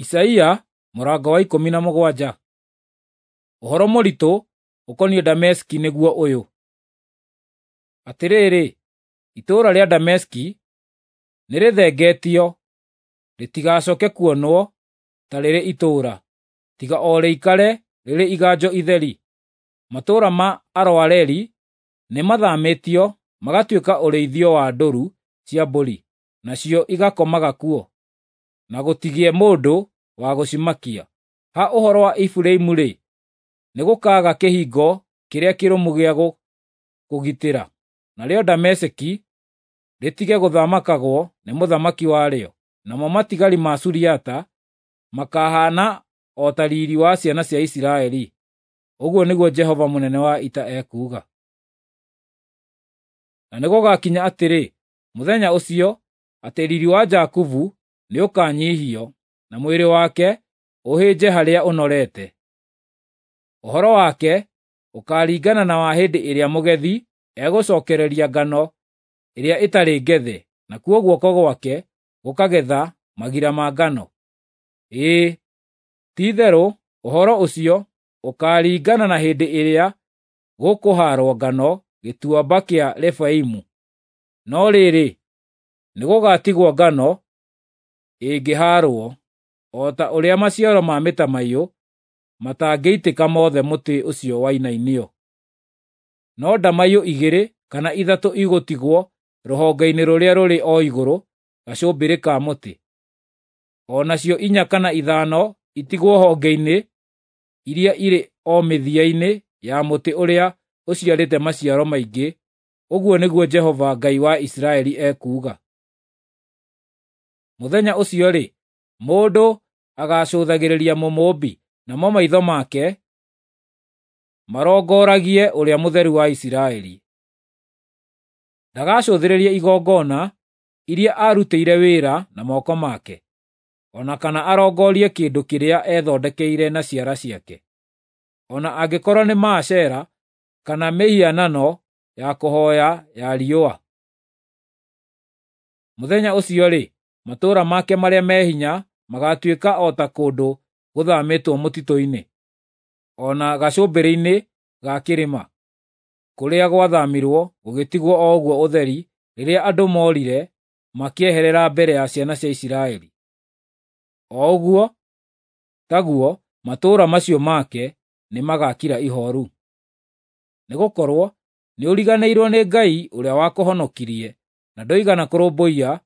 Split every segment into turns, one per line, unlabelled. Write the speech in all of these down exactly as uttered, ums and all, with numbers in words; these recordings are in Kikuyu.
Isaia mũrango wa ikũmi na mũgwanja. Ũhoro mũritũ ũkoniĩ Dameski nĩguo ũyũ: Atĩrĩrĩ, itũũra rĩa Dameski nĩrĩthengetio, rĩtigacooke kuonwo ta rĩrĩ itũũra, tiga o rĩikare rĩrĩ iganjo itheri. Matũũra ma Aroeri nĩmathamĩtio magatuĩka ũrĩithio wa ndũũru cia mbũri, nacio igakomaga kuo, na gũtigĩe mũndũ wa gũcimakia. Ha ũhoro wa Efiraimu-rĩ, nĩgũkaaga kĩhingo kĩrĩa kĩrũmu gĩa kũgitĩra, narĩo Dameski rĩtige gũthamakagwo nĩ mũthamaki warĩo, namo matigari ma Suriata makahaana o ta riiri wa ciana cia Isiraeli, ũguo nĩguo Jehova mũnene wa ita ekuuga. Na nĩgũgakinya atĩrĩ, mũthenya ũcio, atĩ riiri wa Jakubu nĩũkanyiihio, na mwĩrĩ wake ũhĩnje harĩa ũnorete. Ũhoro wake ũkaaringana na wa hĩndĩ ĩrĩa mũgethi egũcookereria ngano ĩrĩa ĩtarĩ ngethe, nakuo guoko gwake gũkagetha magira ma ngano. Ĩĩ, ti-itherũ ũhoro ũcio ũkaaringana na hĩndĩ ĩrĩa gũkũhaarwo ngano Gĩtuamba kĩa Refaimu. No rĩrĩ, nĩgũgatigwo ngano ĩngĩhaarwo, o ta ũrĩa maciaro ma mĩtamaiyũ matangĩitĩka mothe mũtĩ ũcio wainainio. No ndamaiyũ igĩrĩ kana ithatũ igũtigwo rũhonge-inĩ rũrĩa rũrĩ o igũrũ gacũmbĩrĩ ka mũtĩ, o nacio inya kana ithano itigwo honge-inĩ iria irĩ o mĩthia-inĩ ya mũtĩ ũrĩa ũciarĩte maciaro maingĩ, ũguo nĩguo Jehova Ngai wa Isiraeli ekuuga. Mũthenya ũcio-rĩ, mũndũ agaacũthagĩrĩria Mũmũũmbi, namo maitho make marongoragie Ũrĩa Mũtheru wa Isiraeli. Ndagacũthĩrĩria igongona iria aarutĩire wĩra na moko make, o na kana arongorie kĩndũ kĩrĩa ethondekeire na ciara ciake, o na angĩkorwo nĩ Maashera kana mĩhianano ya kũhooya ya riũa. Mũthenya ũcio-rĩ, matũũra make marĩa me hinya magaatuĩka o ta kũndũ gũthamĩtwo mũtitũ-inĩ, o na gacũmbĩrĩ-inĩ ga kĩrĩma, kũrĩa gwathamirwo gũgĩtigwo o ũguo ũtheri rĩrĩa andũ moorire makĩeherera mbere ya ciana cia Isiraeli. O ũguo taguo matũũra macio make nĩmagakira ihooru. Nĩgũkorwo nĩũriganĩirwo nĩ Ngai ũrĩa wakũhonokirie, na ndũigana kũrũmbũiya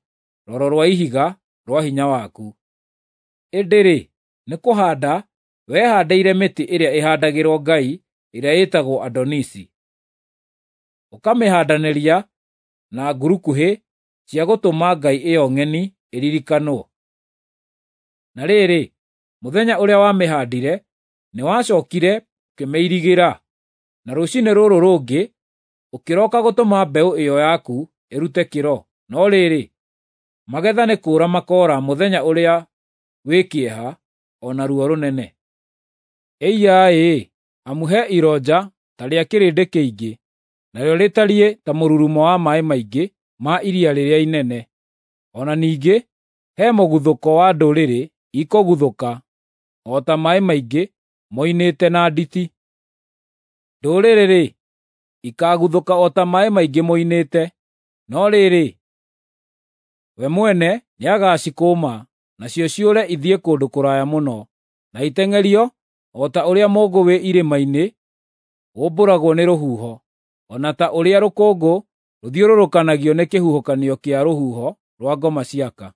Rwaro rwa Ihiga rwa hinya waku. Ĩndĩ-rĩ, nĩkũhaanda wehaandĩire mĩtĩ ĩrĩa ĩhaandagĩrwo ngai ĩrĩa ĩtagwo Adonisi, ũkamĩhaandanĩria na ngurukuhĩ cia gũtũma ngai ĩyo ng'eni ĩririkanwo. Na rĩrĩ, mũthenya ũrĩa wamĩhaandire nĩwacookire ũkĩmĩirigĩra, na rũciinĩ rũrũ rũngĩ ũkĩroka gũtũma mbeũ ĩyo yaku ĩrute kĩro, no rĩrĩ, magetha nĩ kũũra makoora mũthenya ũrĩa wĩ kĩeha o na ruo rũnene. Ĩiya-ĩ, amu he ironja ta rĩa kĩrĩndĩ kĩingĩ, narĩo rĩtariĩ ta mũrurumo wa maaĩ maingĩ ma iria rĩrĩa inene! O na ningĩ he mũguthũko wa ndũrĩrĩ ikũguthũka o ta maaĩ maingĩ moinĩte na nditi. Ndũrĩrĩ-rĩ, ikaaguthũka o ta maaĩ maingĩ moinĩte, no rĩrĩ, we mwene nĩagacikũũma, nacio ciũre ithiĩ kũndũ kũraya mũno, na iteng'erio o ta ũrĩa mũũngũ wĩ irĩma-inĩ ũmbũragwo nĩ rũhuho, o na ta ũrĩa rũkũngũ rũthiũrũrũkanagio nĩ kĩhuhũkanio kĩa rũhuho rwa ngoma ciaka.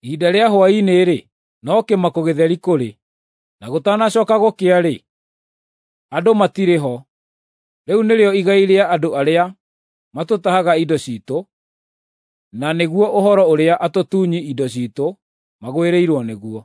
Ihinda rĩa hwaĩ-inĩ-rĩ, no kĩmako gĩtheri kũrĩ, na gũtanacooka gũkĩa-rĩ, andũ matirĩ ho. Rĩu nĩrĩo igai rĩa andũ arĩa matũtahaga indo ciitũ, na nĩguo ũhoro ũrĩa atũtunyi indo ciitũ magwĩrĩirwo nĩguo.